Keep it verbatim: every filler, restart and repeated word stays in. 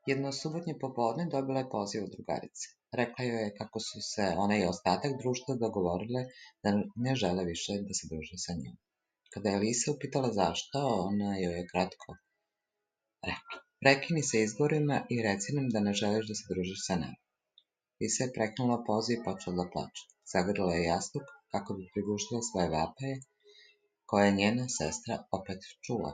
Jedno subotnje popodne dobila je poziv od drugarice. Rekla joj je kako su se ona i ostatak društva dogovorile da ne žele više da se druže sa njom. Kada je Lisa upitala zašto, ona joj je kratko rekla: prekini sa izgovorima i reci nam da ne želiš da se družiš sa nama. Lisa je prekinula poziv i počela da plače. Zagrlila je jastuk kako bi prigušila svoje vapaje, koje je njena sestra opet čula.